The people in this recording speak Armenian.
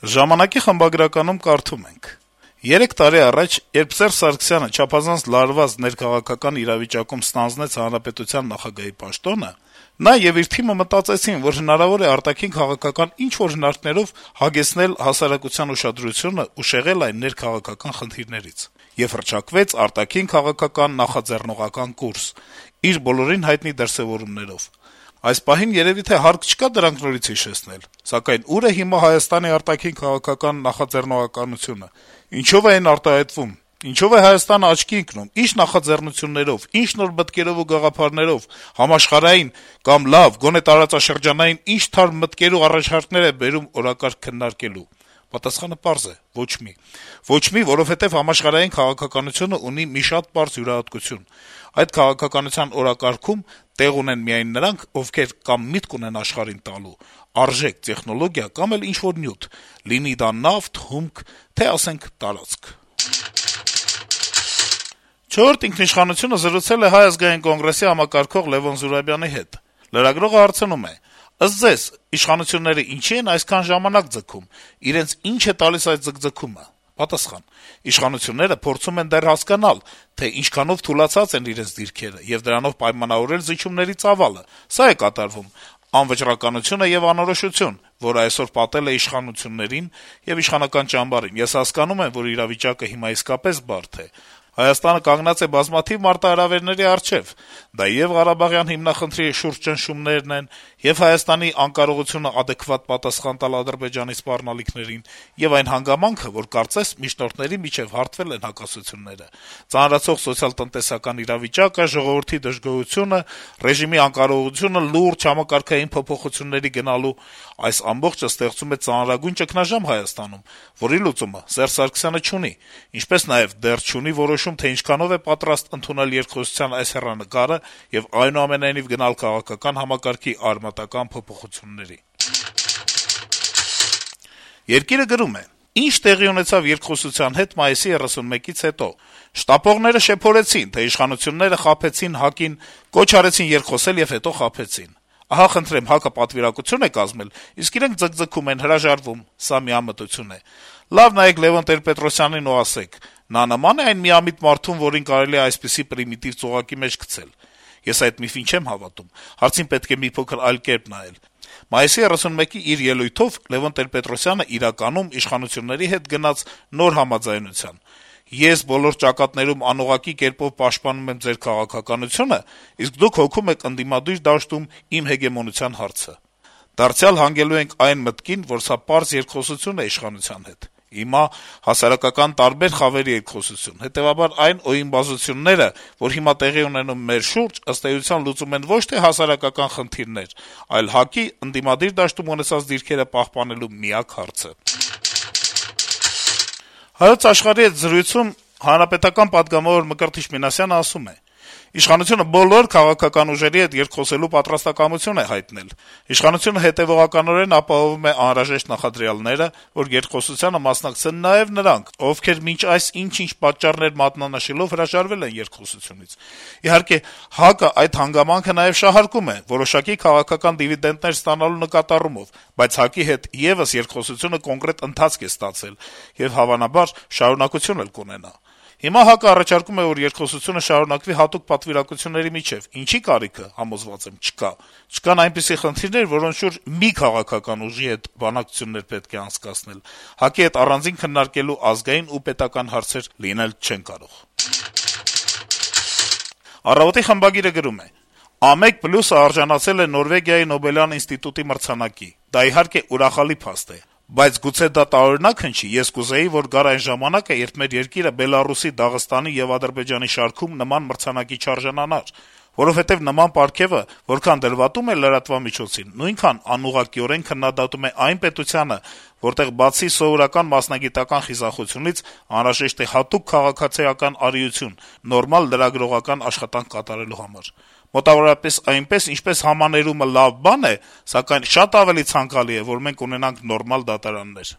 Ժամանակի խմբագրականում կարդում ենք. - 3 տարի առաջ, երբ Սերժ Սարգսյանը չափազանց լարված ներքաղաքական իրավիճակում ստանձնեց հանրապետության նախագահի պաշտոնը, նա եւ իր թիմը մտածեցին, որ հնարավոր է արտաքին քաղաքական ինչ-որ հնարքներով հագեցնել հասարակության ուշադրությունը ու շեղել այն ներքաղաքական խնդիրներից: Եվ հռչակվեց արտաքին քաղաքական նախաձեռնողական կուրս` իր բոլորին հայտնի դրսեւորումներով: Այս պահին երեւի թե հարկ չկա դրանք նորից հիշեցնել: Սակայն ո՞ւր է հիմա Հայաստանի արտաքին քաղաքական նախաձեռնողականությունը: Ինչո՞վ է այն արտահայտվում: Ինչո՞վ է Հայաստանը աչքի ընկնում: Ի՞նչ նախաձեռնություններով, ինչ նոր մտքերով ու գաղափարներով, համաշխարհային կամ լավ, գոնե տարածաշրջանային ինչ թարմ մտքեր ու առաջարկներ է բերում օրակարգ քննարկելու: Պատասխանը պարզ է. ոչ մի: Ոչ մի, որովհետեւ համաշխարհային քաղաքականությունը ունի մի շատ պարզ յուրահատկություն. այդ քաղաքականության օրակարգում տեղ ունեն միայն նրանք, ովքեր կամ միտք ունեն աշխարհին տալու, արժեք, տեխնոլոգիա կամ էլ ինչ-որ նյութ, լինի դա նավթ, հումք, թե ասենք տարածք»: «Չորրորդ ինքնիշխանություն»-ը զրուցել է Հայ ազգային կոնգրեսի համակարգող Լեւոն Զուրաբյանի հետ: Լրագրողը հարցնում է. - «Ըստ Ձեզ, իշխանությունները ինչի՞ են այսքան ժամանակ ձգում: Իրենց ի՞նչ է տալիս այդ ձգձգումը»: Պատասխան. - «Իշխանությունները փորձում են դեռ հասկանալ, թե ինչքանով թուլացած են իրենց դիրքերը եւ դրանով պայմանավորել զիջումների ծավալը: Սա է կատարվում: Անվճռականությունը եւ անորոշություն, որը այսօր պատել է իշխանություններին եւ իշխանական ճամբարին: Ես հասկանում եմ, որ իրավիճակը հիմա իսկապես բարդ է: Հայաստանը կանգնած է բազմաթիվ մարտահրավերների առջեւ: Դա եւ Ղարաբաղյան հիմնախնդրի շուրջ ճնշումներն են, եւ Հայաստանի անկարողությունը ադեկվատ պատասխան տալ Ադրբեջանի սպառնալիքներին, եւ այն հանգամանքը, որ կարծես միջնորդների միջեւ հարթվել են հակասությունները: Ծանրացող սոցիալ-տնտեսական իրավիճակը, ժողովրդի դժգոհությունը, ռեժիմի անկարողությունը լուրջ համակարգային փոփոխությունների գնալու: Այս ամբողջը ստեղծում է ծանրագույն ճգնաժամ Հայաստանում, որի լուծումը Սերժ Սարգսյանը չունի, ինչպես նաեւ դեռ չունի որոշում, թե ինչքանով է պատրաստ ընդունել երկխոսության այս հեռանկարը եւ այնուամենայնիվ գնալ քաղաքական համակարգի արմատական փոփոխությունների»: «Երկիր»-ը գրում է. - «Ինչ տեղի ունեցավ երկխոսության հետ մայիսի 31-ից հետո: Շտապողները շեփորեցին, թե իշխանությունները խաբեցին ՀԱԿ-ին, կոչ արեցին երկխոսել եւ հետո խաբեցին: Ահա, խնդրեմ, ՀԱԿ-ը պատվիրակություն է կազմել, իսկ իրենք ձգձգում են, հրաժարվում: Սա միամտություն է: Լավ նայեք Լեւոն Տեր-Պետրոսյանին ու ասեք` նա նմա՞ն է այն միամիտ մարդուն, որին կարելի է այսպիսի պրիմիտիվ ծուղակի մեջ գցել: Ես այդ միֆին չեմ հավատում: Հարցին պետք է մի փոքր այլ կերպ նայել: Մայիսի 31-ի իր ելույթով Լեւոն Տեր-Պետրոսյանը իրականում իշխանությունների հետ գնաց նոր համաձայնության. ես բոլոր ճակատներում անուղղակի կերպով պաշտպանում եմ ձեր քաղաքականությունը, իսկ դուք հոգում եք ընդդիմադիր դաշտում իմ հեգեմոնության հարցը: Դարձյալ հանգելու ենք այն մտքին, որ սա պարզ երկխոսություն է իշխանության հետ: Հիմա հասարակական տարբեր խավերի երկխոսություն: Հետեւաբար այն օիմբազությունները, որ հիմա տեղի ունենում մեր շուրջ, ըստ էության լուծում են ոչ թե հասարակական խնդիրներ, այլ ՀԱԿ-ի ընդդիմադիր դաշտում ունեցած դիրքերը պահպանելու միակ հարցը»: «Հայոց Աշխարհ»-ի հետ զրույցում պատգամավոր Մկրտիչ Մինասյանը ասում է. - «Իշխանությունը բոլոր քաղաքական ուժերի հետ երկխոսելու պատրաստակամություն է հայտնել: Իշխանությունը հետեւողականորեն ապահովում է անհրաժեշտ նախադրյալները, որ երկխոսությանը մասնակցեն նաեւ նրանք, ովքեր մինչ այս ինչ-ինչ պատճառներ մատնանշելով հրաժարվել են երկխոսությունից: Իհարկե, ՀԱԿ-ը այդ հանգամանքը նաեւ շահարկում է, որոշակի քաղաքական դիվիդենտներ ստանալու նկատառումով, բայց ՀԱԿ-ի հետ եւս երկխոսությունը կոնկրետ ընթացք է ստացել եւ, հավանաբար, շարունակություն էլ կունենա: Հիմա ՀԱԿ-ը առաջարկում է, որ երկխոսությունը շարունակվի հատուկ պատվիրակությունների միջեւ: Ինչի՞ կարիքը, համոզված եմ, չկա: Չկան այնպիսի խնդիրներ, որոնց շուրջ մի քաղաքական ուժի հետ բանակցություններ պետք է անցկացնել: ՀԱԿ-ի հետ առանձին քննարկելու ազգային ու պետական հարցեր լինել չեն կարող»: «Առավոտ»-ի խմբագիրը գրում է. - «A1+-ը արժանացել է Նորվեգիայի Նոբելյան ինստիտուտի մրցանակի: Դա, իհարկե, ուրախալի փաստ է: Բայց գուցե դա տարօրինակ հնչի: Ես կուզեի, որ գար այն ժամանակը, երբ մեր երկիրը Բելառուսի, Դաղստանի եւ Ադրբեջանի շարքում նման մրցանակի չարժանանար: Որովհետեւ նման պարգեւը որքան դրվատում է լրատվամիջոցին, նույնքան անուղղակիորեն քննադատում է այն պետությանը, որտեղ բացի սովորական մասնագիտական խիզախությունից անհրաժեշտ է հատուկ քաղաքացիական արիություն նորմալ լրագրողական աշխատանք կատարելու համար: Մոտավորապես այնպես, ինչպես համաներումը լավ բան է, սակայն շատ ավելի ցանկալի է, որ մենք ունենանք նորմալ դատարաններ»: